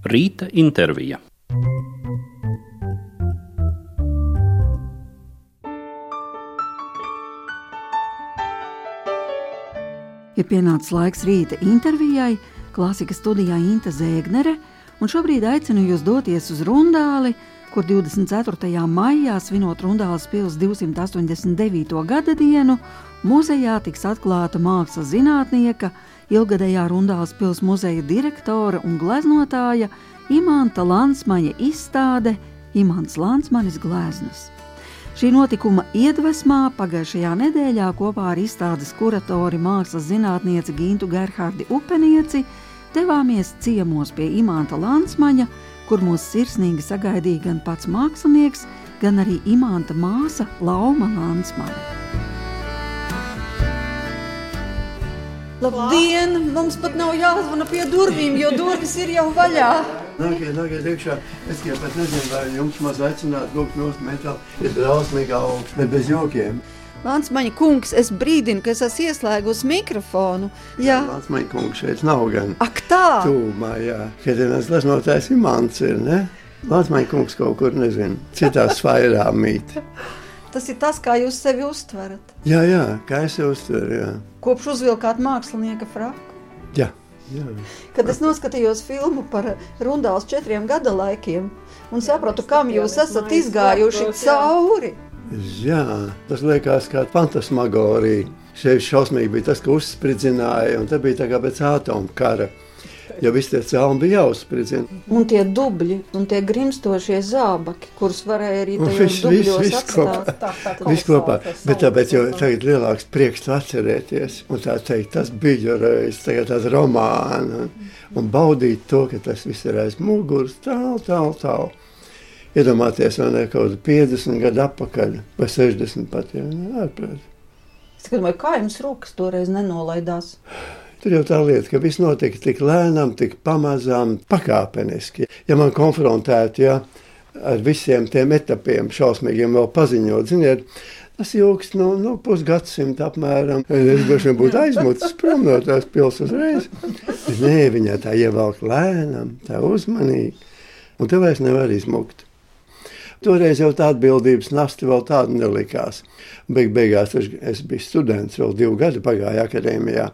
Rīta intervija. Ir pienācis laiks rīta intervijai, Klasikas studijā Inte Zēgnere, un šobrīd aicinu jūs doties uz Rundāli, kur 24. maijā, svinot Rundāles pils 289. gada dienu, muzejā tiks atklāta mākslas zinātnieka, ilgadējā Rundāles pils muzeja direktora un gleznotāja Imanta Lansmaņa izstāde Imants Lansmanis gleznas. Šī notikuma iedvesmā pagājušajā nedēļā kopā ar izstādes kuratori mākslas zinātnieci Gintu Gerhardi Upenieci devāmies ciemos pie Imanta Lansmaņa, kur mūs sirsnīgi sagaidīja gan pats mākslinieks, gan arī Imanta māsa Lauma Lansmaņa. Labdien! Mums pat nav jāzvana pie durvīm, jo durvis ir jau vaļā. Nākiet iekšā. Es tikai pat nezinu, vai jums maz aicināt lūgt nost metāli. Ir drausmīgi augsts, bet bez jokiem. Lansmaņa kungs, es brīdinu, ka es esmu ieslēgusi mikrofonu. Jā. Lansmaņa kungs šeit nav gan. Ak tā! Tūmā, jā. Kad viens gleznotājs Imants ir, ne? Lansmaņa kungs kaut kur, nezinu, citās sfairā mīt. Tas ir tas, kā jūs sevi uztverat. Jā, kā es uztveru, jā. Kopš uzvilkāt mākslinieka fraku. Jā. Kad es noskatījos filmu par Rundāles 4 gada laikiem un sapratu, kam jūs esat izgājuši cauri. Jā, tas liekas kā fantasmagorija. Šeit šausmīgi bija tas, ka uzspridzināja, un tā bija tā kā pēc ātomu kara. Jo visi tie celmi bija jāuzspridzina. Un tie dubļi, un tie grimstošie zābaki, kurus varēja arī tajos dubļos atstāt. Viss kopā. Bet tāpēc jau tagad lielāks prieks atcerēties. Un tā teikt, tas bija reiz, tagad tās romāni. Un baudīt to, ka tas viss ir aiz muguras, tālu. Iedomāties, vai ne, kaut 50 gadu atpakaļ, vai 60 pat, jā, ārprāt. Es domāju, kā jums rokas toreiz nenolaidās? Tur jau tā lieta, ka viss notika tik lēnām, tik pamazām, pakāpeniski. Ja man konfrontētu, ar visiem tiem etapiem šausmīgiem vēl paziņot, ziniet, tas ilgs pusgadsimta apmēram. Es droši būtu aizmucis prom no tās pils uzreiz. Bet nē, viņā tā ievelk lēnām, tā uzmanīgi, un te vairs nevar izmukt. Toreiz jau tā atbildības nasta vēl tāda nelikās. Beigās es biju students, vēl 2 gadi pagāja akadēmijā,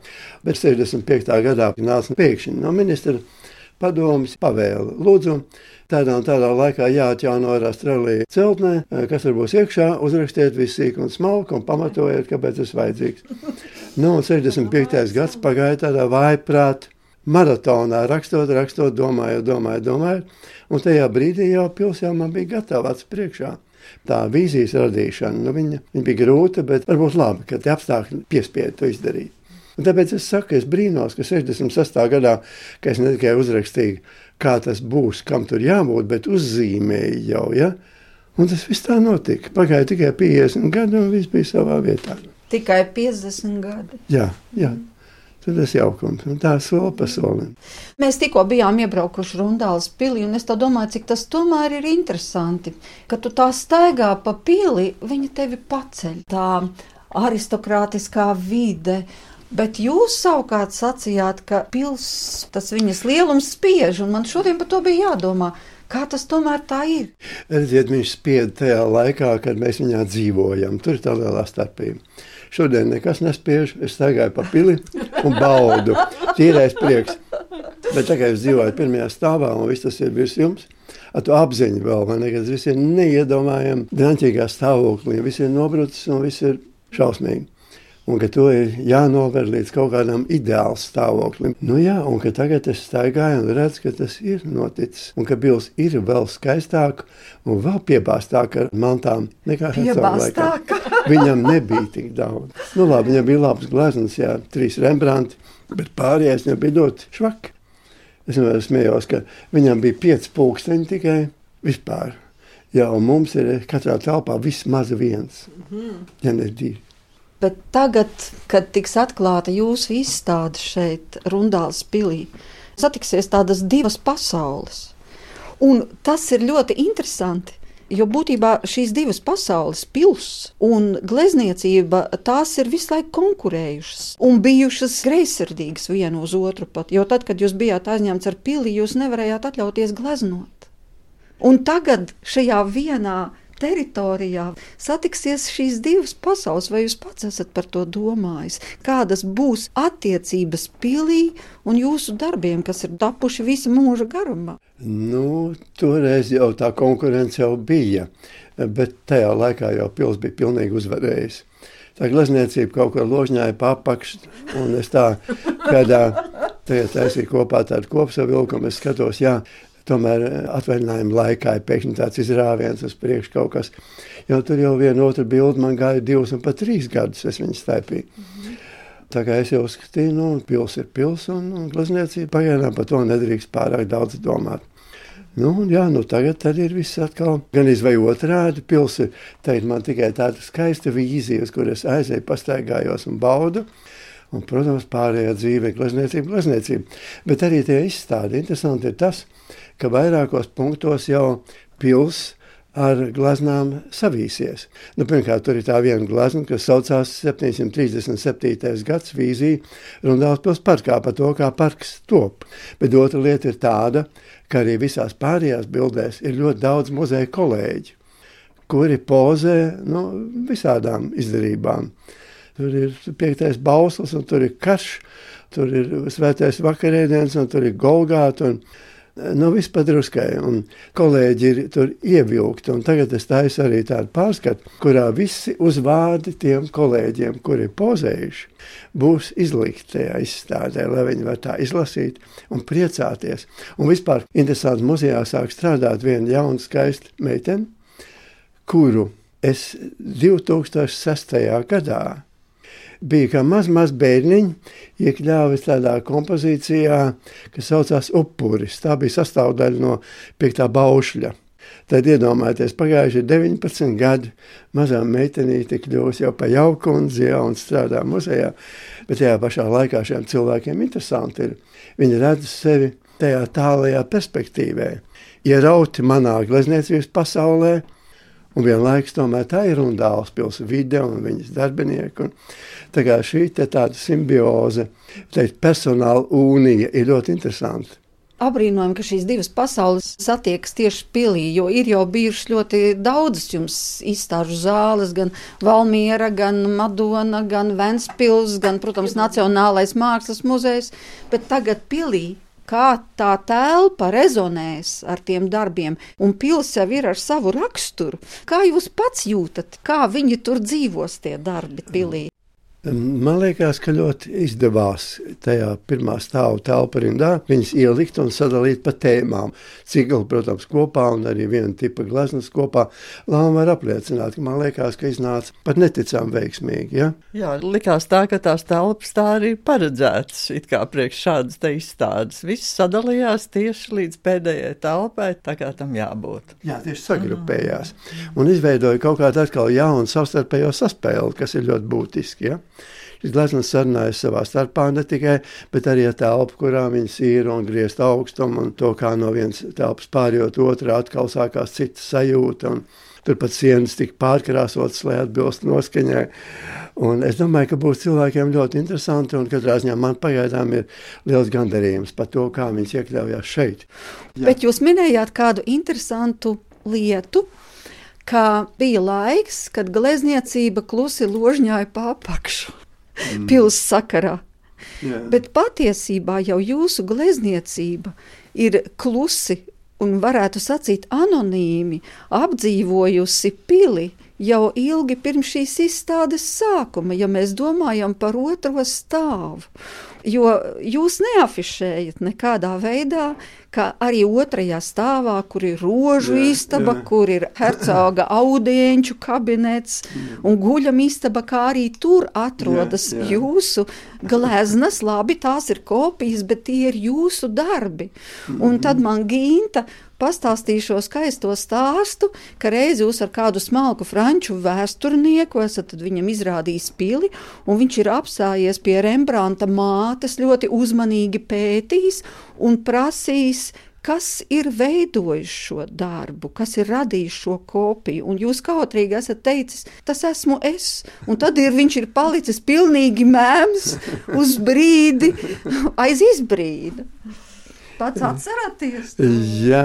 bet 65. gadā nāca pēkšņi no ministra padomes pavēle. Lūdzu, tādā un tādā laikā jāatjauno Rastrelī celtnē, kas tur būs iekšā, uzrakstiet visu sīku un smalku un pamatojiet, kāpēc tas vajadzīgs. Un 65. gads pagāja tādā vājprāt maratonā, rakstot, domājot. Un tajā brīdī jau pils jau man bija gatava acu priekšā. Tā vīzijas radīšana, viņa bija grūta, bet varbūt labi, ka tie apstākļi piespieda to izdarīt. Un tāpēc es saku, es brīnos, ka 66. gadā, ka es ne tikai uzrakstīju, kā tas būs, kam tur jābūt, bet uzzīmēju jau, ja? Un tas viss tā notika. Pagāja tikai 50 gadi un viss bija savā vietā. Tikai 50 gadi? Jā. Tas ir jaukums, un tā soli pa solim. Mēs tikko bijām iebraukuši Rundāles pilī, un es tā domāju, cik tas tomēr ir interesanti, ka tu tā staigā pa pili, viņa tevi paceļ, tā aristokrātiskā vide, bet jūs savukārt sacījāt, ka pils, tas viņas lielums spiež, un man šodien par to bija jādomā. Kā tas tomēr tā ir? Redziet, viņš spied tajā laikā, kad mēs viņā dzīvojam. Tur ir tā lielā starpība. Šodien nekas nespiež, es staigāju pa pili un baudu. Tīrais prieks. Bet tagad es dzīvoju pirmajā stāvā un viss tas ir virs jums. Ar to apziņu vēl, vai ne, kad viss ir neiedomājami draņķīgā stāvoklī. Viss ir nobrucis un viss ir šausmīgi. Un ka to ir jānover līdz kaut kādam ideāls stāvoklim. Un ka tagad es staigāju un redzu, ka tas ir noticis. Un ka pils ir vēl skaistāka un vēl piebāstāka ar mantām nekā piebāstāka? Viņam nebija tik daudz. Labi, viņam bija labs gleznas, 3 Rembrandti, bet pārējais viņam bija ļoti švaki. Es vienmēr smējos, ka viņam bija 5 pulksteņi tikai vispār. Un mums ir katrā telpā vismaz 1, ja ne 2. Bet tagad, kad tiks atklāta jūsu izstāde šeit, Rundāles pilī, satiksies tādas 2 pasaules. Un tas ir ļoti interesanti, Jo būtībā šīs divas pasaules, pils un glezniecība, tās ir visu laiku konkurējušas un bijušas greizsirdīgas vienu uz otru pat. Jo tad, kad jūs bijāt aizņemts ar pili, jūs nevarējāt atļauties gleznot. Un tagad šajā vienā teritorijā satiksies šīs divas pasaules, vai jūs pats esat par to domājis? Kādas būs attiecības pilī un jūsu darbiem, kas ir tapuši visa mūža garumā? Toreiz jau tā konkurence jau bija, bet tajā laikā jau pils bija pilnīgi uzvarējis. Tā glezniecība kaut kur ložņāja papakš, un es tā kādā tagad taisīju kopā tādu kopsavilkumu, es skatos, tomēr atvaļinājuma laikā ir pēkšņi tāds izrāviens uz priekšu kaut kas. Jo tur jau viena otra bilde man gāja 2 un pat 3 gadus, es viņu staipīju. Tā kā es jau skatīju, pils ir pils un glezniecība pagaidām par to nedrīkst pārāk daudz domāt. Tagad tad ir viss atkal gan vai otrādi. Pils ir, teikt, man tikai tāda skaista vīzija, uz kur es aizēju, pastaigājos un baudu. Un, protams, pārējā dzīve ir glezniecība. Bet arī tie izstādi. Interesanti ir tas, ka vairākos punktos jau pils ar glaznām savīsies. Pirmkārt, tur ir tā viena glazna, kas saucās 737. gads vīzija Rundāles pils parkā par to, kā parks top. Bet otra lieta ir tāda, ka arī visās pārējās bildēs ir ļoti daudz muzeja kolēģi, kuri pozē visādām izdarībām. Tur ir 5. bauslis, un tur ir karš, tur ir svētais vakarēdiens, un tur ir Golgāta, un viss padruskai. Un kolēģi ir tur ievilkti, un tagad es taisu arī tādu pārskatu, kurā visi uzvārdi tiem kolēģiem, kuri ir pozējuši, būs izlikti tajā izstādē, lai viņi var tā izlasīt un priecāties. Un vispār interesanti muzejā sāk strādāt viena jauna skaista meitene, kuru es 2006. gadā bija kā maz bērniņi iekļāvis tādā kompozīcijā, kas saucās Upuris. Tā bija sastāvdaļa no 5. baušļa. Tad iedomājieties, pagājuši 19 gadi, mazām meitenīti kļūs jau pa jaukundzi un strādā muzejā, bet tajā pašā laikā šiem cilvēkiem interesanti ir. Viņi redz sevi tajā tālajā perspektīvē, ierauti manā glezniecības pasaulē, un vienlaikus tomēr tā ir Rundāles pils vide un viņas darbinieki. Tā kā šī tāda simbioze, personāla unija ir ļoti interesanta. Abrīnojam, ka šīs divas pasaules satiekas tieši pilī, jo ir jau bijušas ļoti daudzas jums izstāžu zāles, gan Valmiera, gan Madona, gan Ventspils, gan, protams, Nacionālais mākslas muzejs, bet tagad pilī. Kā tā telpa rezonēs ar tiem darbiem, un pils jau ir ar savu raksturu. Kā jūs pats jūtat, kā viņi tur dzīvos tie darbi pilī? Man liekas, ka ļoti izdevās tajā pirmā stāvu telpa rindā viņas ielikt un sadalīt pa tēmām. Cikli, protams, kopā un arī viena tipa gleznas kopā. Lāma var apliecināt, ka man liekas, ka iznāca pat neticām veiksmīgi. Ja? Jā, likās tā, ka tās telpas tā arī paredzētas, it kā priekš šādas te izstādes. Viss sadalījās tieši līdz pēdējai telpai, tā kā tam jābūt. Jā, tieši sagrupējās. Un izveidoja kaut kādu atkal jaunu savstarpējo saspēli, kas ir ļoti būtiski, ja? Šis gleznas sarunājas savā starpā ne tikai, bet arī ar telpu, kurā viņas ir un griezt augstumu un to, kā no vienas telpas pārjot otrā, atkal sākās cita sajūta un turpat sienas tika pārkrāsotas, lai atbilst noskaņai. Un es domāju, ka būs cilvēkiem ļoti interesanti un katrā ziņā man pagaidām ir liels gandarījums par to, kā viņas iekļaujās šeit. Jā. Bet jūs minējāt kādu interesantu lietu, ka bija laiks, kad glezniecība klusi ložņāja pa apakšu. Pils sakarā. Jā. Bet patiesībā jau jūsu glezniecība ir klusi un varētu sacīt anonīmi apdzīvojusi pili jau ilgi pirms šīs izstādes sākuma, ja mēs domājam par otro stāvu. Jo jūs neafišējat nekādā veidā, ka arī otrajā stāvā, kur ir rožu istaba, kur ir hercoga audienču kabinets un guļam istaba, kā arī tur atrodas jūsu gleznas. Labi, tās ir kopijas, bet tie ir jūsu darbi. Un tad man Ginta pastāstīja šo skaisto stāstu, ka reiz jūs ar kādu smalku franču vēsturnieku esat viņam izrādījis pili, un viņš ir apstājies pie Rembrandta mātes, ļoti uzmanīgi pētījis un prasījis, Kas ir veidojis šo darbu, kas ir radījis šo kopiju, un jūs kautrīgi esat teicis, tas esmu es, un tad viņš ir palicis pilnīgi mēms uz brīdi, aiz izbrīda. Pats atceraties? Jā,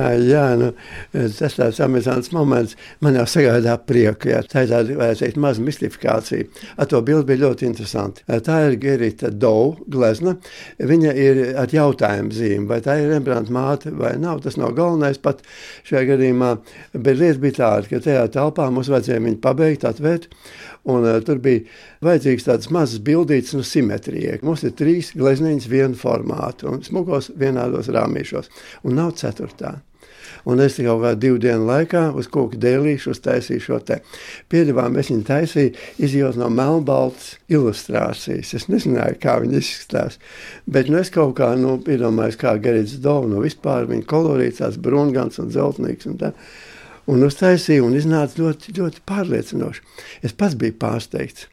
tas tāds amizants moments man jau sagādā prieku, jā. Tā ir tāda, vajag teikt, maza mistifikācija. Ar to bildi bija ļoti interesanti. Tā ir Gerita Dou glezna. Viņa ir ar jautājumu zīmi, vai tā ir Rembrandta māte vai nav. Tas nav galvenais pat šajā gadījumā, bet lieta bija tāda, ka tajā telpā mums vajadzēja viņu pabeigt, atvērt, un tur bija vajadzīgs tādas mazas bildītas no simetrijai. Mums ir 3 glezniņas vienu formātu un smukos vienādos rāmīšos, un nav 4. Un es kaut kā 2 dienu laikā uz koku dēlīšu uztaisīju šo te. Piedevām es viņu taisīju, izjūt no melnbaltas ilustrācijas. Es nezināju, kā viņi izskatās, bet es kaut kā, iedomājos, kā Gerits Dou, vispār viņa kolorīts, tāds brūngans un dzeltnīgs un tā. Un uztaisīju un iznāca ļoti, ļoti pārliecinoši. Es pats biju pārsteigts.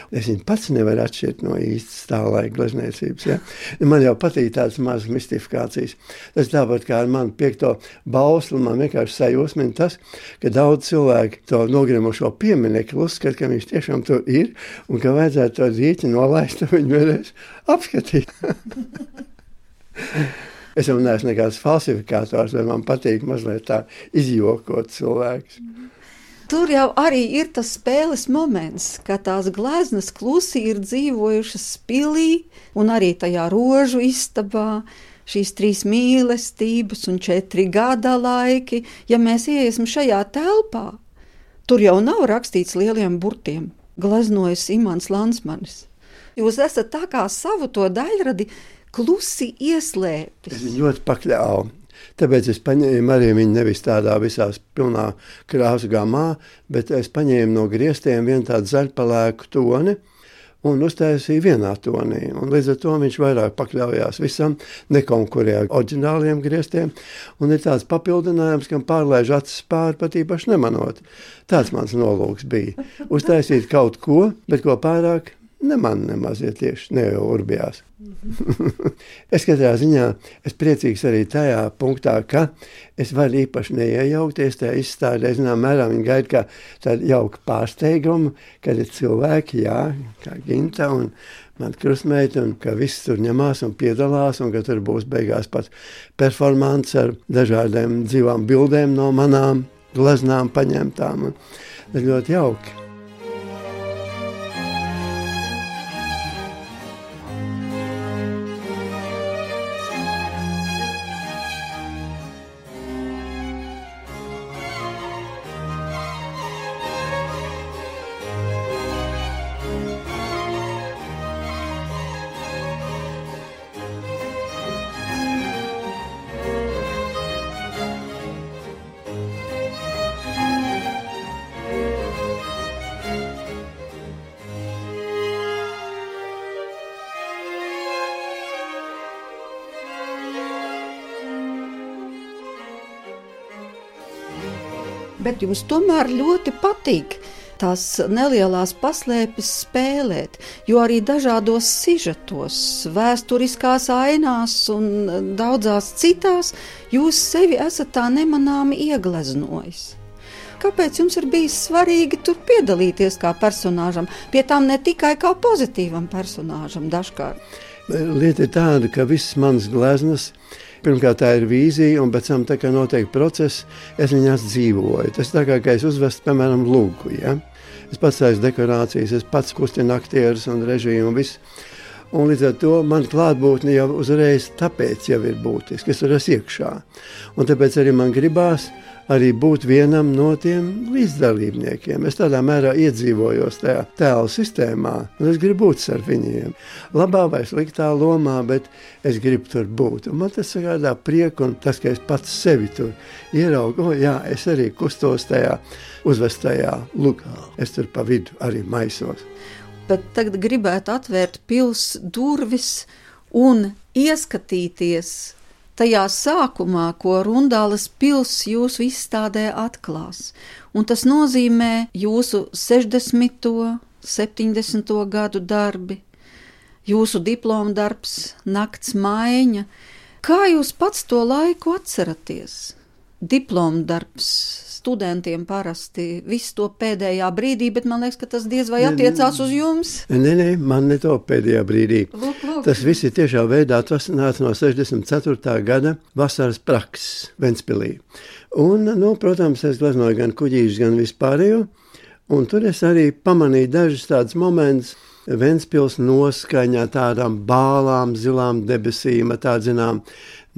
Es viņu pats nevaru atšķirt no īstas tā laika glezniecības. Ja? Man jau patīk tādas mazas mistifikācijas. Tas tāpat kā ar manu 5. bauslu, man vienkārši sajūsmina tas, ka daudz cilvēki to nogrimušo pieminekli uzskata, ka viņš tiešām tur ir un ka vajadzētu to zīķi nolaist, un viņu vēlreiz apskatīt. Es jau neesmu nekāds falsifikators, bet man patīk mazliet tā izjokot cilvēkus. Tur jau arī ir tas spēles moments, ka tās gleznas klusi ir dzīvojušas pilī un arī tajā rožu istabā, šīs 3 mīlestības un 4 gada laiki. Ja mēs iesim šajā telpā, tur jau nav rakstīts lieliem burtiem, gleznojas Imants Landsmanis. Jūs esat tā kā savu to daļradi klusi ieslēpis. Es viņu ļoti pakļāvu. Tāpēc es paņēmu arī viņu nevis tādā visās pilnā krāsu gamā, bet es paņēmu no griestiem vienu tādu zaļpalēku toni un uztaisīju vienā tonī. Un līdz ar to viņš vairāk pakļaujās visam, nekonkurēja oriģināliem griestiem. Un ir tāds papildinājums, kam pārlaiž acis pāri, pat īpaši nemanot. Tāds mans nolūks bija. Uztaisīt kaut ko, bet ko pārāk nemaz ir tieši, ne jau urbjās. Es katrā ziņā, es priecīgs arī tajā punktā, ka es varu īpaši neiejaukties tajā izstādē. Zinām, mērā viņi gaida kā tādu jauku pārsteigumu, kad ir cilvēki, jā, kā Ginta un man krustmeita, un ka viss tur ņemās un piedalās, un ka tur būs beigās pat performance ar dažādiem dzīvām bildēm no manām gleznām paņemtām. Tas ļoti jauki. Bet jums tomēr ļoti patīk tās nelielās paslēpes spēlēt, jo arī dažādos sižetos, vēsturiskās ainās un daudzās citās jūs sevi esat tā nemanāmi iegleznojis. Kāpēc jums ir bijis svarīgi tur piedalīties kā personāžam, pie tām ne tikai kā pozitīvam personāžam dažkārt? Lieta ir tāda, ka visas manas gleznas, pirmkārt tā ir vīzija, un pēc tam tā kā notiek process, es viņās dzīvoju. Tas tā kā es uzvestu, piemēram, lūgu, ja? Es pats taisu dekorācijas, es pats kustinu aktierus un režiju un visu. Un līdz ar to man klātbūtne jau uzreiz tāpēc jau ir būtiski, es tur esmu iekšā. Un tāpēc arī man gribās arī būt vienam no tiem līdzdalībniekiem. Es tādā mērā iedzīvojos tajā tēlu sistēmā, un es gribu būt ar viņiem. Labā vai sliktā lomā, bet es gribu tur būt. Un man tas sagādā prieku, un tas, ka es pats sevi tur ieraugu, jā, es arī kustos tajā uzvestajā lugā. Es tur pa vidu arī maisos. Bet tagad gribētu atvērt pils durvis un ieskatīties tajā sākumā, ko Rundāles pils jūsu izstādē atklās. Un tas nozīmē jūsu 60., 70. gadu darbi, jūsu diploma darbs, nakts maiņa, Kā jūs pats to laiku atceraties? Diploma darbs studentiem parasti visu to pēdējā brīdī, bet man liekas, ka tas diez vai attiecās uz jums. Nē, man ne to pēdējā brīdī. Lūk. Tas viss ir tiešā veidā atvasināts no 64. gada vasaras prakses Ventspilī. Un, protams, es gleznoju gan kuģīšus, gan vispārējo, un tur es arī pamanīju dažus tādus momentus Ventspils noskaņā, tādām bālām, zilām debesīm, tādu, zinām,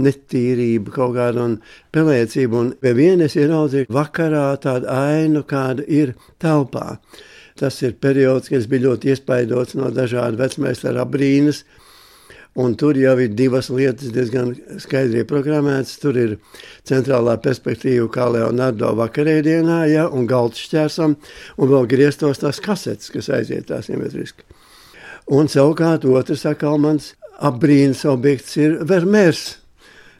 netīrību kaut kādu un pelēcību, un pie vienas ieraudzīju vakarā tādu ainu, kāda ir telpā. Tas ir periods, kad es biju ļoti iespaidots no dažādu vecmeistara abrīnas, un tur jau ir divas lietas diezgan skaidri programmētas. Tur ir centrālā perspektīva kā Leonardo vakarēdienā, ja, un galds šķērsam, un vēl grieztos tās kasetes, kas aiziet tā simetriski. Un savukārt otrs atkal mans abrīnas objekts ir Vermeers,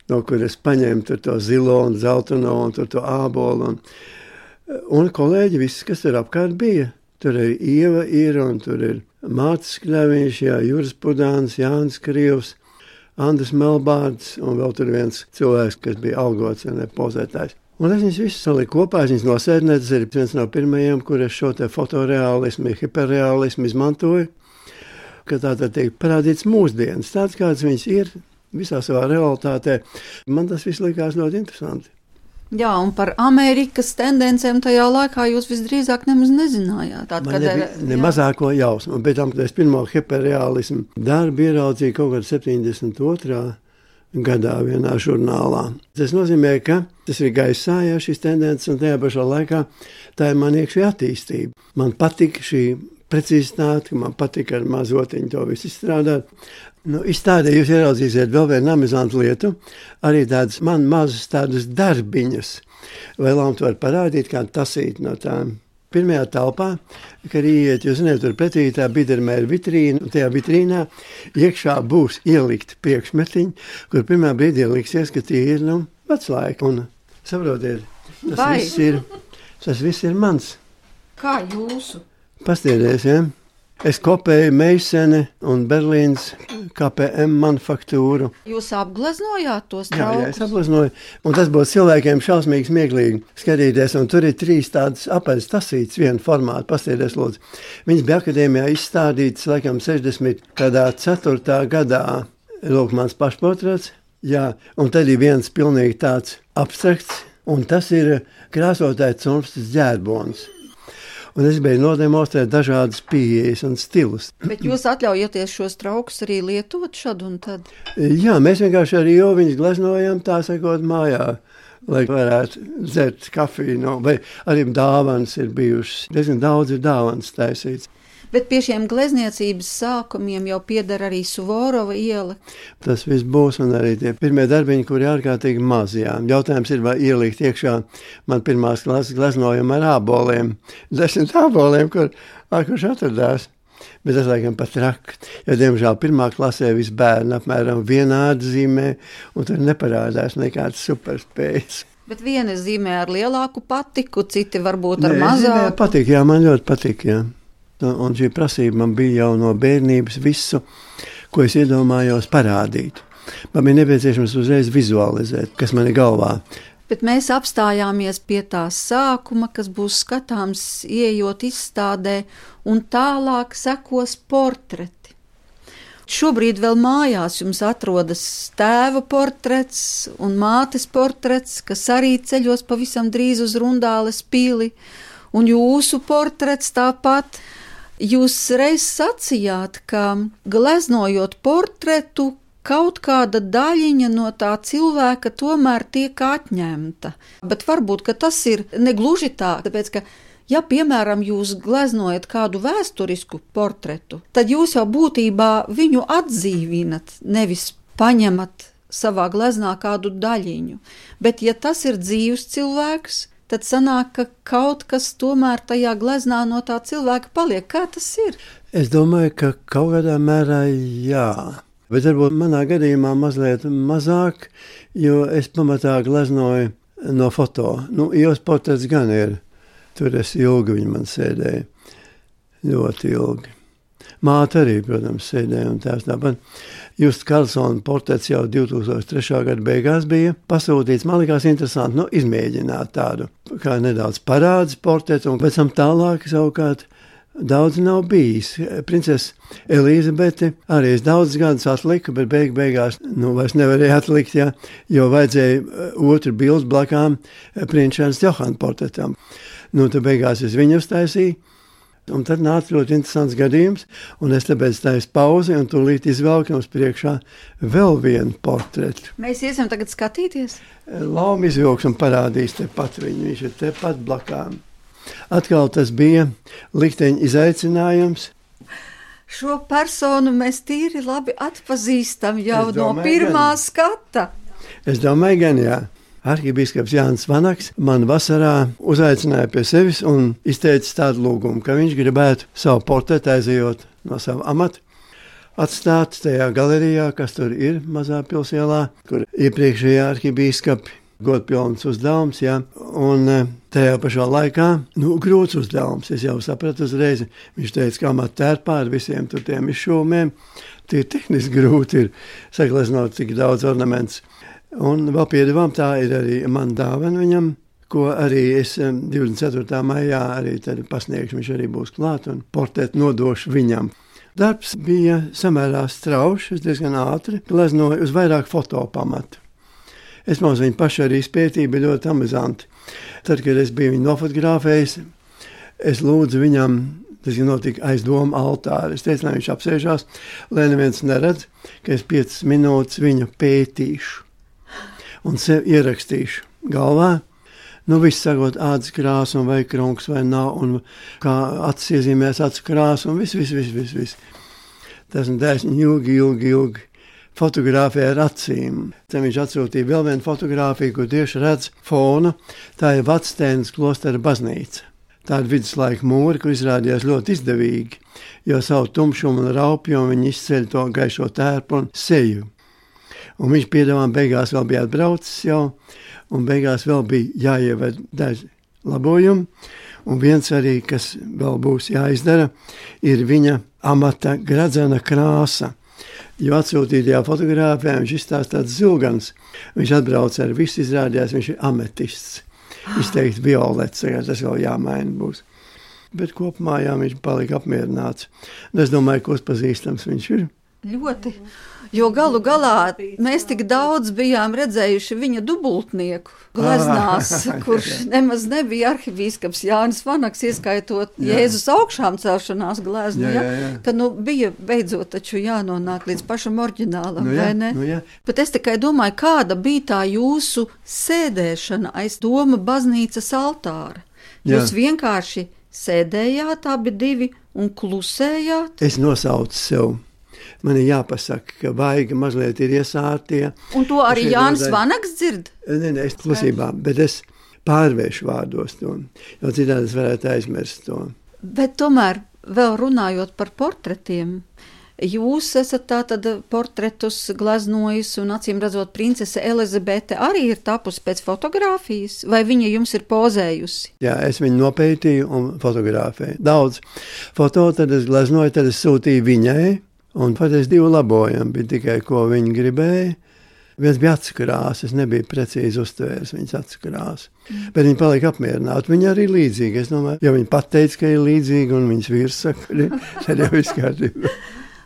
no kuras paņēmu tur to zilo un zeltaino un tur to ābolu. Un kolēģi, viss, kas tur apkārt bija. Tur ir Ieva ir, un tur ir Mācis Kļaviņš, Juris Pudāns, Jānis Krievs, Andris Melbārds, un vēl tur viens cilvēks, kas bija algots un pozētājs. Un es viņus visus saliku kopā, es viņus nosēdinēju, tas ir viens no pirmajiem, kur es šo te fotoreālismu, hiperreālismu izmantoju, ka tātad tiek parādīts mūsdienas, tāds kāds viņas ir, visā savā realitātē. Man tas viss likās ļoti interesanti. Jā, un par Amerikas tendencēm tajā laikā jūs visdrīzāk nemaz nezinājāt. Man nebija ne mazāko jausmu, bet tam, kad es pirmo hiperreālismu darbu ieraudzīju kaut kad 72. gadā vienā žurnālā. Tas nozīmē, ka tas ir gaisā, ja šis tendences, un tajā pašā laikā tā ir man iekšē attīstība. Man patika šī precizitāte, man patika ar mazotiņu to visu izstrādāt. Izstādē jūs ieraudzīsiet vēl vienu amizantu lietu, arī tādas man mazas tādas darbiņas. Vai Lamta var parādīt kādu tasīt no tām. Pirmajā telpā, kad ieiet, jūs zināt, tur pretī tā bidermēra vitrīna, un tajā vitrīnā iekšā būs ielikti priekšmetiņi, kur pirmā brīdī liksies, ka tie ir, veclaiki. Un saprotiet, tas viss ir mans. Kā jūsu? Pastiedies, ja? Es kopēju Meisene un Berlīnas KPM manufaktūru. Jūs apgleznojāt tos traukus? Jā, es apgleznoju. Un tas būtu cilvēkiem šausmīgi smieklīgi skatīties. Un tur ir 3 tādas apaļas tasītes, viena formāta. Pastiedies, lūdzu. Viņas bija akadēmijā izstādītas, laikam, 64. gadā. Lūk, mans pašportrets. Jā, un tad ir viens pilnīgi tāds abstrakts. Un tas ir krāsotāja Cunftas ģērbons. Un es biju nodemonstrēt dažādas pieejas un stilus. Bet jūs atļaujaties šos traukus arī lietot šad un tad? Jā, mēs vienkārši arī jau viņus gleznojam, tā sakot, mājā, lai varētu dzert kafiju. Vai arī dāvanas ir bijušas. Diezgan daudz ir dāvanas taisīts. Bet pie šiem glezniecības sākumiem jau pieder arī Suvorova iela. Tas viss būs, un arī tie pirmie darbiņi, kuri ārkārtīgi maz, jā. Jautājums ir, vai ielikt iekšā man pirmās klases gleznojuma ar āboliem. 10 āboliem, kurš atradās. Bet tas laikam pat traki, jo, diemžēl, pirmā klasē visi bērni apmēram vienādi zīmē, un tur neparādās nekādas superspējas. Bet viena zīmē ar lielāku patiku, citi varbūt ar mazāku. Patīk, jā, man ļoti patīk, jā. Un šī prasība man bija jau no bērnības visu, ko es iedomājos parādīt. Man bija nepieciešams uzreiz vizualizēt, kas man ir galvā. Bet mēs apstājāmies pie tā sākuma, kas būs skatāms, ieejot izstādē, un tālāk sekos portreti. Šobrīd vēl mājās jums atrodas tēva portrets un mātes portrets, kas arī ceļos pavisam drīz uz Rundāles pili, un jūsu portrets tāpat. Jūs reiz sacījāt, ka gleznojot portretu, kaut kāda daļiņa no tā cilvēka tomēr tiek atņemta. Bet varbūt, ka tas ir negluži tā, tāpēc, ka, ja, piemēram, jūs gleznojat kādu vēsturisku portretu, tad jūs jau būtībā viņu atdzīvinat, nevis paņemat savā gleznā kādu daļiņu. Bet, ja tas ir dzīvs cilvēks, tad sanāk, ka kaut kas tomēr tajā gleznā no tā cilvēka paliek. Kā tas ir? Es domāju, ka kaut kādā mērā jā. Bet varbūt manā gadījumā mazliet mazāk, jo es pamatā gleznoju no foto. Jūs portrets gan ir. Tur es ilgi viņi man sēdēja. Ļoti ilgi. Māte arī, protams, sēdēja un tēvs tāpat. Justs Karlsona portrets jau 2003. Gada beigās bija pasūtīts. Man likās interesanti, izmēģināt tādu, kā nedaudz parādes portretu, un pēc tam tālāk savukārt daudz nav bijis. Princese Elizabete arī es daudz gadus atliku, bet beigās vairs nevarēja atlikt, jo vajadzēja otru bildes blakām princešas Johana portretam. Tad beigās es viņu uztaisīju, un tad nāca ļoti interesants gadījums, un es tāpēc taisu pauzi, un tūlīt izvelku mums priekšā vēl vienu portretu. Mēs iesim tagad skatīties? Lauma izvilks un parādīs tepat viņu, viņš ir tepat blakām. Atkal tas bija likteņa izaicinājums. Šo personu mēs tīri labi atpazīstam jau no pirmā skata. Es domāju, gan jā. Arhibīskaps Jānis Vanaks man vasarā uzaicināja pie sevis un izteica tādu lūgumu, ka viņš gribētu savu portretu aizejot no sava amata, atstāt tajā galerijā, kas tur ir mazā pilsēlā, kur iepriekšējie arhibīskapi godpilns uzdevums, un tajā pašā laikā, grūts uzdevums, es jau sapratu uzreiz, viņš teica, ka amata tērpā ar visiem tur tiem izšūmiem, tie tehniski grūti ir sagleznot tik daudz ornaments. Un vēl piedevām, tā ir arī man dāvana viņam, ko arī es 24. maijā arī pasniegšu, viņš arī būs klāt un portretu nodošu viņam. Darbs bija samērā straušs, es diezgan ātri gleznoju uz vairāk fotopamatu. Es mums viņu pašu arī izpētīju, bija ļoti amizanti. Tad, kad es biju viņu nofotografējis, es lūdzu viņam, tas notika aiz doma altāra. Es teicu, lai viņš apsēžās, lai neviens neredz, ka es 5 minūtes viņu pētīšu. Un sev ierakstīšu galvā, viss sagot ādas krāsu, un vai krunks vai nav, un kā acis iezīmēs acu krāsu, un viss. Tas un tā es ilgi fotografēju ar acīm. Tad viņš atsūtīja vēl vienu fotogrāfiju, kur tieši redz fonu, tā ir Vacsteinas klostera baznīca. Tāda viduslaika mūri, kur izrādījās ļoti izdevīgi, jo savu tumšumu un raupjumu viņi izceļ to gaišo tērpu un seju. Un viņš piedāvām beigās vēl bija atbraucis jau, un beigās vēl bija jāieved daži labojumi, un viens arī, kas vēl būs jāizdara, ir viņa amata gradzena krāsa, jo atsūtītajā fotogrāfijā viņš izstāsta tāds zilgans, viņš atbrauc ar visu izrādījās, viņš ir ametists, izteikti violets, tas vēl jāmaina būs. Bet kopumā viņš palika apmierināts, un es domāju, ko pazīstams viņš ir. Ļoti, jo galu galā mēs tik daudz bijām redzējuši viņa dubultnieku gleznās, kurš nemaz nebija arhibīskaps Jānis Vanaks, ieskaitot Jēzus augšām celšanās gleznu, ka bija beidzot taču jānonāk līdz pašam oriģinālam, vai ne? Bet es tikai domāju, kāda bija tā jūsu sēdēšana aiz doma baznīcas altāra? Jūs vienkārši sēdējāt abi divi un klusējāt? Es nosaucu sev. Man ir jāpasaka, ka vaiga mazliet ir iesārtie. Un to arī Jānis Vanaks dzird? Nē, es klusībā, bet es pārvēršu vārdos to, jo citādi es varētu aizmirst to. Bet tomēr, vēl runājot par portretiem, jūs esat tātad portretus gleznojis un acīm redzot princese Elizabete arī ir tapusi pēc fotogrāfijas, vai viņa jums ir pozējusi? Jā, es viņu nopētīju un fotografēju. Daudz foto, tad es gleznoju, tad es sūtīju viņai. Un patiesi 2 labojumi bija tikai, ko viņi gribēja. Viens bija acu krāsa, es nebiju precīzi uztvēris viņas acu krāsu. Bet viņi palika apmierināti. Viņi arī līdzīgi. Es domāju, ja viņi pateica, ka ir līdzīgi, un viņas vīrs saka, tad jau viss kārtībā.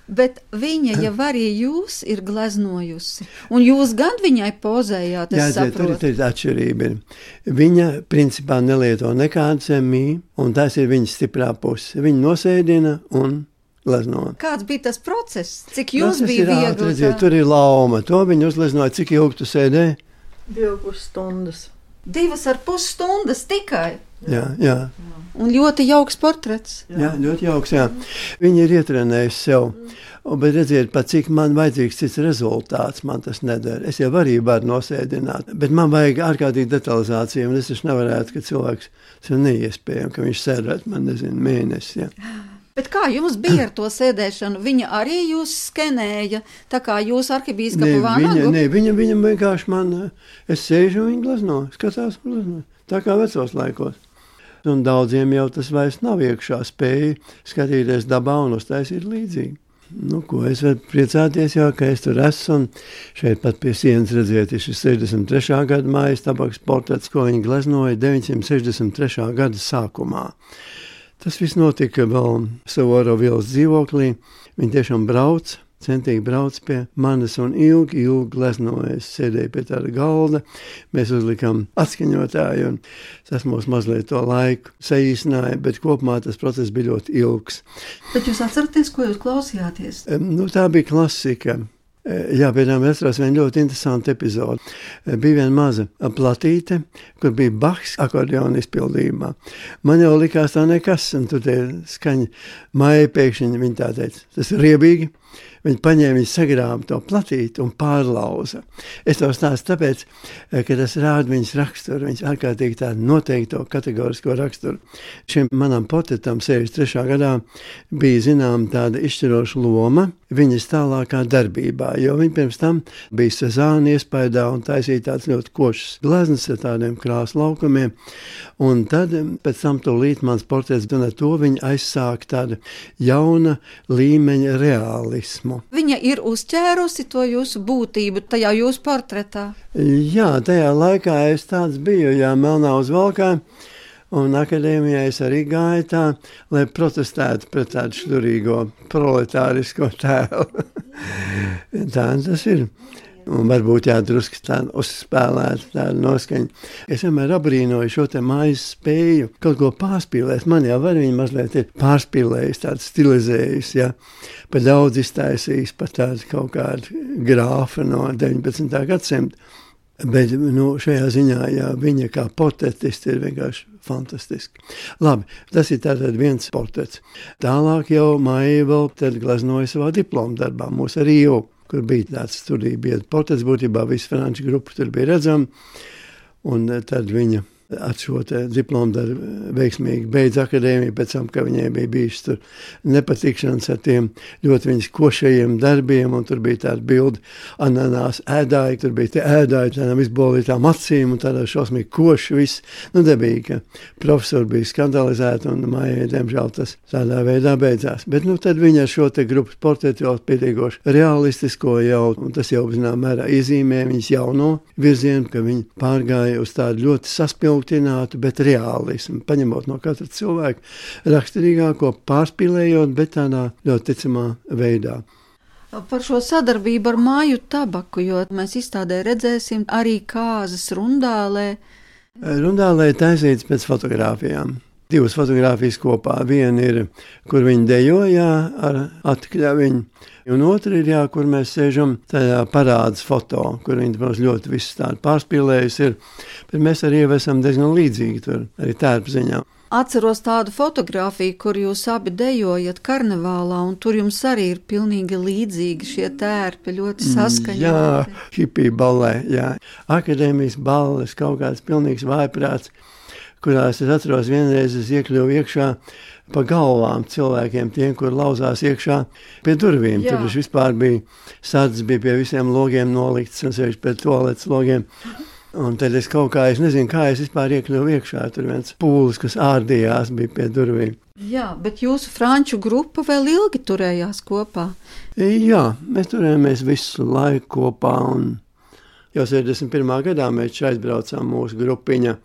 Bet viņa jau arī jūs ir gleznojusi. Un jūs gan viņai pozējāt, es saprotu. Jā, tur ir atšķirība. Viņa principā nelieto nekādu semiju, un tas ir viņas stiprā puse. Viņa nosēdina un glezno. Kāds bija tas process? Cik jūs bija viegli? Redziet, tur ir lauma. To viņa uzgleznoja. Cik ilgi tu sēdēji? 2,5 stundas. 2,5 stundas tikai? Jā. Un ļoti jauks portrets. Jā, ļoti jauks, jā. Viņa ir ietrenējusi sev. Bet redziet, pat cik man vajadzīgs cits rezultāts, man tas nedara. Es jau arī varu nosēdināt, bet man vajag ārkārtīgi detalizāciju, un es taču nevarētu, ka cilvēks, tas ir neiespējami, ka viņš sēdētu, man nezinu, mēnesi, jā. Bet kā jums bija ar to sēdēšanu? Viņa arī jūs skenēja, tā kā jūs arhibīskapu Vanagu? Viņa vienkārši man, es sēžu un viņa glezno, skatās un glezno, tā kā vecos laikos. un daudziem jau tas vairs nav iekšā spēja skatīties dabā un uztaisīt līdzīgi. Nu, ko es varu priecāties, jau, ka es tur esmu, un šeit pat pie sienas redzēt, ir šis 63. gada Maijas Tabakas portrets, ko viņi gleznoja 963. gada sākumā. Tas viss notika vēl Suvorovas ielas dzīvoklī. Viņi tiešām centīgi brauc pie manis un ilgi gleznoja. Es sēdēju pie tāda galda, mēs uzlikām atskaņotāju, un tas mums mazliet to laiku saīsināja, bet kopumā tas process bija ļoti ilgs. Bet jūs atceraties, ko jūs klausījāties? Tā bija klasika. Jā, piemēram, es atceros vienu ļoti interesantu epizodi. Bija viena maza platīte, kur bija Bachs akordeona izpildījumā. Man jau likās tā nekas, un tur tie skaņa Maija pēkšņi, viņa tā teica, tas ir riebīgi. Viņi paņēma, viņi sagrāba to platīti un pārlauza. Es to stāstu tāpēc, ka tas rāda viņas raksturu, viņas ārkārtīgi tādu noteikto kategorisko raksturu. Šim manam portretam 63. gadā bija zinām tāda izšķiroša loma viņas tālākā darbībā, jo viņa pirms tam bija Sezāna iespaidā un taisīja tāds ļoti košs gleznas ar tādiem krāsu laukumiem, un tad pēc tam tūlīt mans portrets, un ar to viņa aizsāka tāda jauna līmeņa realismu. Viņa ir uzķērusi to jūsu būtību tajā jūsu portretā? Jā, tajā laikā es tāds biju, melnā uz valkā, un akadēmijā es arī gāju tā, lai protestētu pret tādu šturīgo proletārisko tēlu. Tā tas ir. Un varbūt drusku tādu uzspēlētu tādu noskaņu. Es vienmēr abrīnoju šo te Maijas spēju kaut ko pārspīlēt. Man jau var viņa mazliet ir pārspīlējis, tādu stilizējis, pa daudz iztaisījis, pa tādu kaut kādu grāfu no 19. gadsimta. Bet šajā ziņā, viņa kā portretisti ir vienkārši fantastiski. Labi, tas ir tātad viens portrets. Tālāk jau Maija vēl tad gleznoja savā diploma darbā, mūsu arī jau, kur bija tāds studiju biedru portrets, būtībā visu franču grupu tur bija redzama, un tad viņa ar šo diplomu darbu veiksmīgi beidz akadēmiju, pēc tam, ka viņai bija bijušas tur nepatikšanas ar tiem ļoti viņas košajiem darbiem, un tur bija tāda bilde ananās ēdāji, tur bija tie ēdāji tādām izbolītām acīm, un tādā šausmīgi koši viss. Debīgi, ka profesori bija skandalizēti, un Maijai, diemžēl, tas tādā veidā beidzās. Bet tad viņa ar šo te grupas portretu jau pietiekoši realistisko jau, un tas jau, zinām, mērā iezīmē viņas jauno virzienu, ka viņa pārgāja uz tādu ļoti saspilgtu, bet reālismu, paņemot no katra cilvēka raksturīgāko, pārspīlējot, bet tādā ļoti ticamā veidā. Par šo sadarbību ar Maiju Tabaku, jo mēs izstādē redzēsim arī kāzas Rundālē. Rundālē taisīts pēc fotogrāfijām. 2 fotogrāfijas kopā. Viena ir, kur viņi dejojā ar atkļaviņu, un otra ir, kur mēs sēžam tajā parādas foto, kur viņi, protams, ļoti visu tādu pārspīlējusi ir, bet mēs arī esam diezgan līdzīgi tur, arī tērpa ziņā. Atceros tādu fotogrāfiju, kur jūs abi dejojat karnevālā, un tur jums arī ir pilnīgi līdzīgi šie tērpi, ļoti saskaņoti. Jā, hipija ballē, jā. Akadēmijas balles, kaut kāds pilnīgs vājprāts, kurās es atceros vienreiz es iekļuvu iekšā pa galvām cilvēkiem, tiem, kur lauzās iekšā pie durvīm. Jā. Tur vispār bija sadzes, bija pie visiem logiem nolikts, un sevišķi pie toaletes logiem. Un tad es kaut kā, es nezinu, kā es vispār iekļuvu iekšā, tur viens pūlis, kas ārdījās, bija pie durvīm. Jā, bet jūsu franču grupa vēl ilgi turējās kopā? Jā, mēs turējāmies visu laiku kopā, un jau 61. gadā mēs aizbraucām mūsu grupiņa,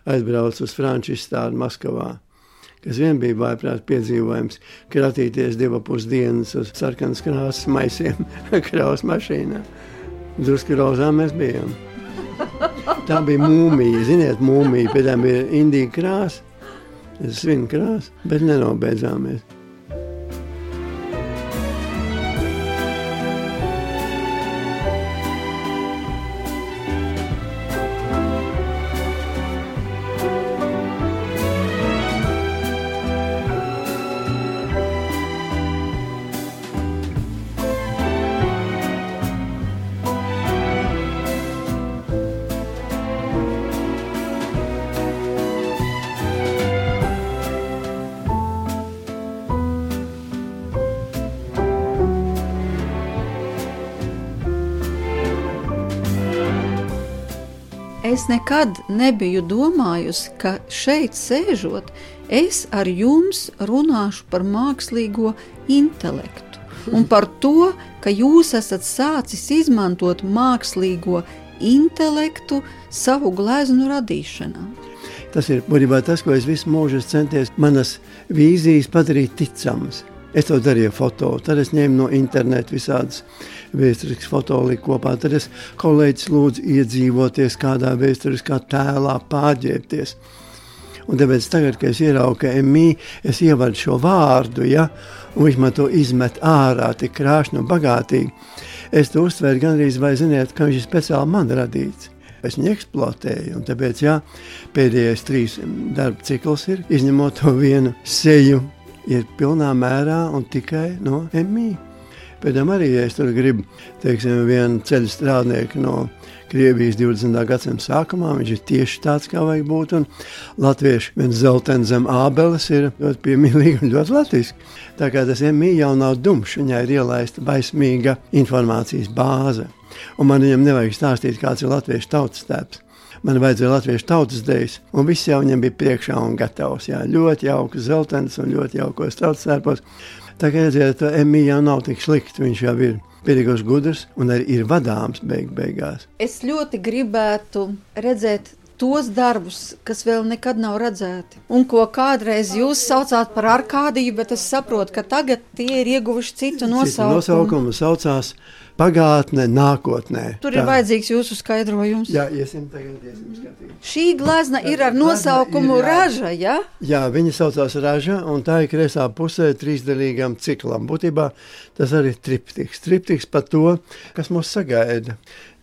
aizbrauc uz franču izstādi Maskavā, kas vien bija vājprāt piedzīvojums, kratīties 2,5 dienas uz sarkanas krāsas maisiem kraus mašīnā. Drusku rozā mēs bijām. Tā bija mūmija, ziniet, mūmija, pēc tam bija indīga krāsa, svina krāsa, bet nenobeidzāmies. Es nekad nebiju domājusi, ka šeit sēžot, es ar jums runāšu par mākslīgo intelektu un par to, ka jūs esat sācis izmantot mākslīgo intelektu savu gleznu radīšanā. Tas ir būtībā tas, ko es visu mūžu centies manas vīzijas padarīt ticamas. Es to darīju foto, tad es ņēmu no interneta visādas vēsturiskas foto liku kopā, tad es kolēģis lūdzu iedzīvoties kādā vēsturiskā tēlā, pārģērbties. Un tāpēc tagad, kad es ieraugu, ka MI, es ievadu šo vārdu, ja, un viņš man to izmet ārā, tik krāšņi un bagātīgi, es to uztvēru gandrīz vai ziniet, ka viņš ir speciāli man radīts. Es viņu eksploatēju, un tāpēc, jā, pēdējais 3 darba cikls ir, izņemot to vienu seju, ir pilnā mērā un tikai no MI. Pēdējām arī, ja es tur gribu, teiksim, vienu ceļu strādnieku no Krievijas 20. gadsimta sākumā, viņš ir tieši tāds, kā vajag būt, un latvieši viens zeltens zem ābeles ir ļoti piemīlīgi un ļoti latviski. Tā kā tas MI jau nav dumšs, viņai ir ielaista baismīga informācijas bāze. Un man viņam nevajag stāstīt, kāds ir latviešu tautas tēps. Man vajadzēja latviešu tautas dejas, un viss jau viņam bija priekšā un gatavs. Jā, ļoti jauks zeltens un ļoti jaukos tautas tēpos. Tā kā redziet, MI jau nav tik slikti, viņš jau ir pietiekoši gudrs un arī ir vadāms beigās. Es ļoti gribētu redzēt tos darbus, kas vēl nekad nav redzēti, un ko kādreiz jūs saucāt par Arkādiju, bet es saprotu, ka tagad tie ir ieguvuši citu nosaukumu. Citu nosaukumu saucās pagātnē, nākotnē. Tur ir vajadzīgs jūsu skaidrojums. Jā, iesim skatīt. Šī glezna ir ar nosaukumu Raža, ja? Jā, viņa saucās Raža, un tā ir kreisā pusē 3-daļīgam ciklam. Būtībā tas arī ir triptiks. Triptiks par to, kas mūs sagaida.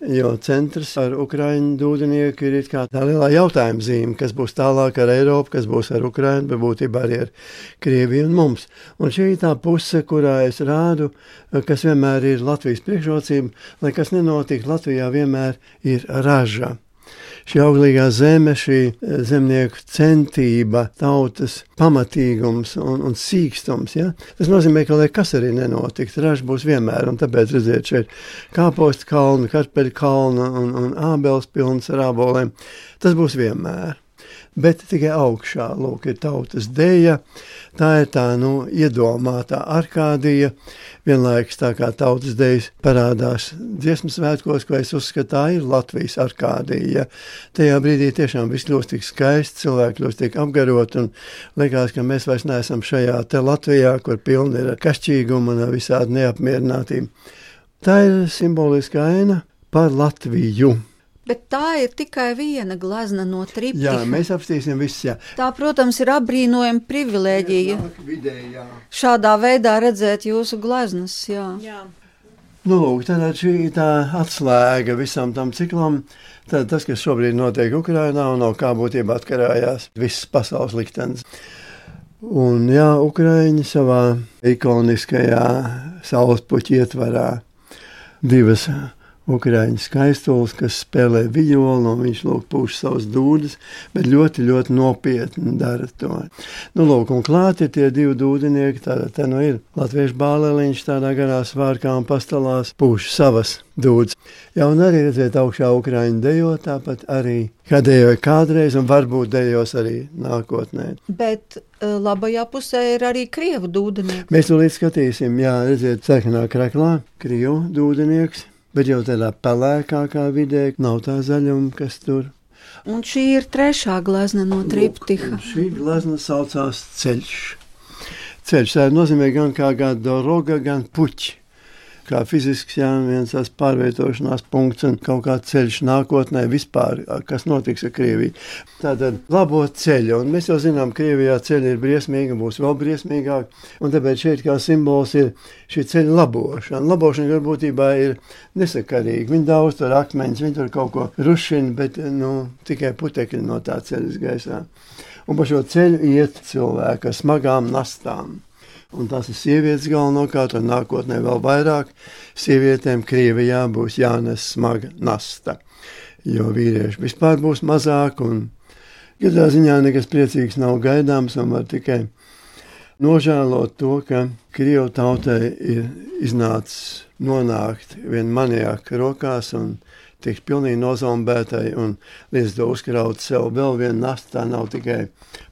Jo centrs ar Ukraiņu dūdenieku ir kā tā lielā jautājuma zīme, kas būs tālāk ar Eiropu, kas būs ar Ukraiņu, bet būtībā arī ar Krieviju un mums. Un šī ir tā puse, kurā es rādu, kas vienmēr ir Latvijas priekšrocība, lai kas nenotiek, Latvijā vienmēr ir raža. Šī auglīgā zeme, šī zemnieku centība, tautas pamatīgums un sīkstums. Ja? Tas nozīmē, ka lai kas arī nenotikt, raža būs vienmēr. Un tāpēc redziet šeit kāpostu kalnu, kartupeļu kalnu un ābeles pilnas ar āboliem. Tas būs vienmēr. Bet tikai augšā, lūk, ir tautas deja, tā ir tā, iedomātā Arkādija, vienlaikus tā kā tautas dejas parādās dziesmas svētkos, ko es uzskatu, tā ir Latvijas Arkādija. Tajā brīdī tiešām viss kļūst tik skaists, cilvēki kļūst tik apgarot, un likās, ka mēs vairs neesam šajā te Latvijā, kur pilni ir kašķīguma un visādi neapmierinātība. Tā ir simboliska aina par Latviju. Bet tā ir tikai viena glezna no triptiha. Jā, mēs apstīsim visus, jā. Tā, protams, ir apbrīnojama privilēģija. Vidējā. Šādā veidā redzēt jūsu gleznas, jā. Lūk, tad šī tā atslēga visam tam ciklam, tad tas, kas šobrīd notiek Ukrainā un no kā būtībā atkarājās viss pasaules liktenis. Un jā, Ukraiņi savā ikoniskajā saulespuķa ietvarā divas Ukraiņu skaistulis, kas spēlē violu, un viņš lūk pūš savas dūdas, bet ļoti, ļoti nopietni dara to. Lūk, un klāt ir tie 2 dūdenieki, tātad te ir latviešu bāleliņš tādā garā svārkā un pastalās pūš savas dūdas. Jā, un arī redzēt augšā Ukraiņu dejo, tāpat arī, kā dejoja kādreiz, un varbūt dejos arī nākotnē. Bet labajā pusē ir arī krievu dūdenieki. Mēs to līdz skatīsim, jā, redzēt sarkanā kraklā, krievu dūdenieks. Bet jau tādā pelēkākā vidē nav tā zaļuma, kas tur. Un šī ir trešā glezna no triptiha. Šī glezna saucās Ceļš. Ceļš, tā nozīmē gan kā doroga, gan puķi. Kā fizisks, jā, viens tās pārvietošanās punkts un kaut kā ceļš nākotnē vispār, kas notiks ar Krieviju. Tātad labot ceļu, un mēs jau zinām, Krievijā ceļi ir briesmīgi, būs vēl briesmīgāk, un tāpēc šeit kā simbols ir šī ceļa labošana. Labošana būtībā ir nesakarīga. Viņi daudz tur akmeņus, viņi tur kaut ko rušina, bet tikai putekļi no tā ceļas gaisā. Un pa šo ceļu iet cilvēki ar smagām nastām. Un tās ir sievietes galvenokārt, un nākotnē vēl vairāk sievietēm Krievijā būs jānes smaga nasta. Jo vīrieši vispār būs mazāk, un katrā ziņā nekas priecīgs nav gaidāms, un var tikai nožēlot to, ka Krievu tautai ir iznācis nonākt vien maniaka rokās, un tiks pilnīgi nozombētai un līdz to uzkraut sev vēl vienu nastu. Tā nav tikai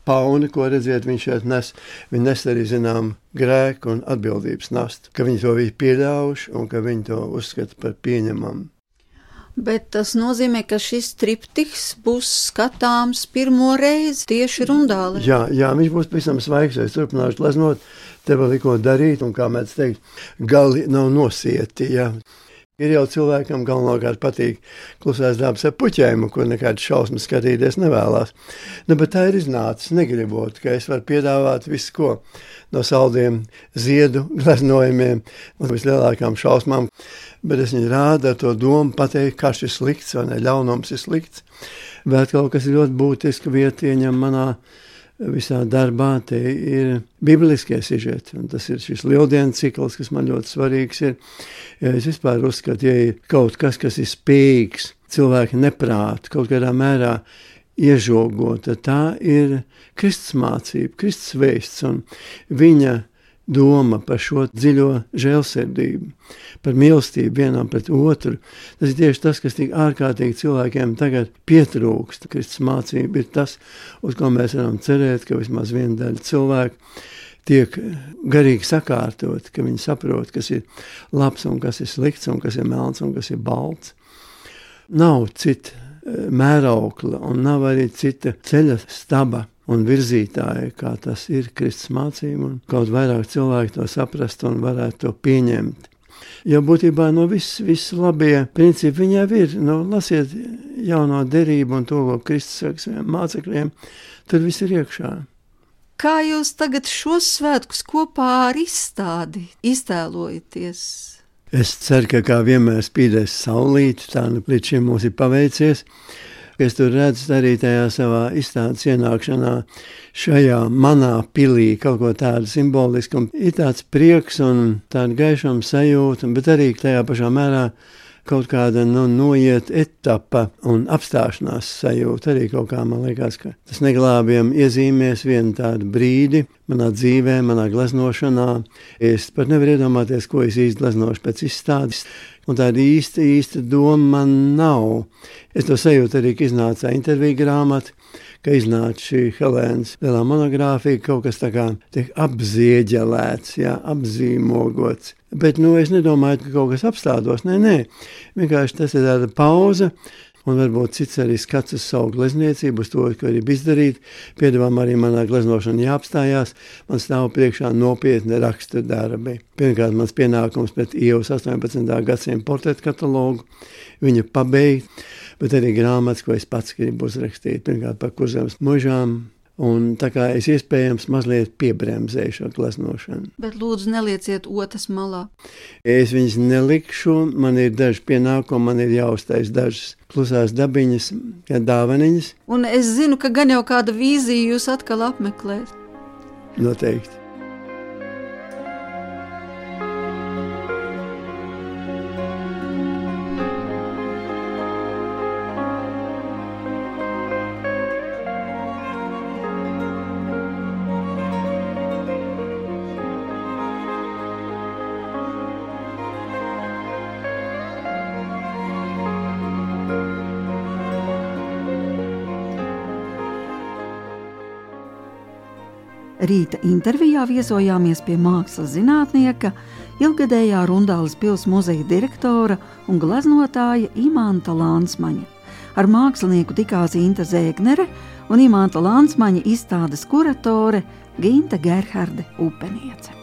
pauni, ko redziet, viņš šeit nes. Viņi nes arī, zinām, grēku un atbildības nastu, ka viņi to visu pieļaujuši un ka viņi to uzskata par pieņemamu. Bet tas nozīmē, ka šis triptiks būs skatāms pirmo reizi tieši Rundālē. Jā, viņš būs pavisam svaigs, es turpināšu gleznot, te vēl ko darīt, un kā mēs teikt, gali nav nosieti, jā. Ir jau cilvēkam galvenokārt patīk klusās dabas ar puķēm, kur nekādas šausmas skatīties nevēlās. Bet tā ir iznācis, negribot, ka es varu piedāvāt visu ko no saldiem ziedu gleznojumiem un vislielākām šausmām, bet es viņu rādu ar to domu pateikt, kā šis slikts vai ne, ļaunums ir slikts. Bet kaut kas ļoti būtiski vieta ieņem manā visā darbā, te ir bibliskie sižeti, un tas ir šis lieldienu cikls, kas man ļoti svarīgs ir. Ja es vispār uzskatu, ja ir kaut kas, kas ir spējīgs cilvēki neprāt, kaut kādā mērā iežogot, tad tā ir Kristus mācība, Kristus vēsts, un viņa doma par šo dziļo žēlsirdību, par mīlestību vienam pret otru. Tas ir tieši tas, kas tik ārkārtīgi cilvēkiem tagad pietrūkst. Kristus mācība ir tas, uz ko mēs varam cerēt, ka vismaz viena daļa cilvēku tiek garīgi sakārtot, ka viņi saprot, kas ir labs un kas ir slikts un kas ir melns un kas ir balts. Nav cita mēraukla un nav arī cita ceļa staba un virzītāji, kā tas ir Kristus mācība, un kaut vairāk cilvēki to saprast un varētu to pieņemt. Jo būtībā no viss labie principi viņā ir. Lasiet jauno derību un to, ko Kristus saka saviem mācekļiem, tur viss ir iekšā. Kā jūs tagad šos svētkus kopā ar izstādi iztēlojaties? Es ceru, ka kā vienmēr spīdēs saulīti, tā līdz šim mums ir paveicies. Es tur redzu arī tajā savā izstādes ienākšanā šajā manā pilī kaut ko tādu simbolisku. Ir tāds prieks un tāda gaišama sajūta, bet arī tajā pašā mērā kaut kāda noiet etapa un apstāšanās sajūta. Arī kaut kā man liekas, ka tas neglābjam iezīmēs vienu tādu brīdi manā dzīvē, manā gleznošanā. Es pat nevaru iedomāties, ko es īsti gleznošu pēc izstādes. Un tāda īsta doma man nav. Es to sajūtu arī, ka iznāca interviju grāmata, ka iznāca šī Helēnas lielā monogrāfija, kaut kas tā kā tiek apzieģelēts, apzīmogots. Bet es nedomāju, ka kaut kas apstādos. Nē. Vienkārši tas ir tāda pauze. Un varbūt cits arī skats uz savu glezniecību, uz to, ko arī izdarīt. Piedāvām arī manā gleznošana jāapstājās. Man stāv priekšā nopietni rakstu darbi. Pirmkārt, mans pienākums pret Ievas 18. gadsimta portretu katalogu, viņa pabeigt, bet arī grāmatas, ko es pats gribu uzrakstīt. Pirmkārt, par Kurzemes mužām. Un tā kā es iespējams mazliet piebremzēju šo gleznošanu. Bet lūdzu nelieciet otras malā. Es viņas nelikšu, man ir daži pienākumi, man ir jāuztais dažas klusās dabiņas, kā dāvaniņas. Un es zinu, ka gan jau kāda vīzija jūs atkal apmeklēt. Noteikti. Rīta intervijā viesojāmies pie mākslas zinātnieka, ilgadējā Rundāles pils muzeja direktora un gleznotāja Imanta Lānsmaņa. Ar mākslinieku tikās Inta Zēgnere un Imanta Lānsmaņa izstādes kuratore Ginta Gerharde Upeniece.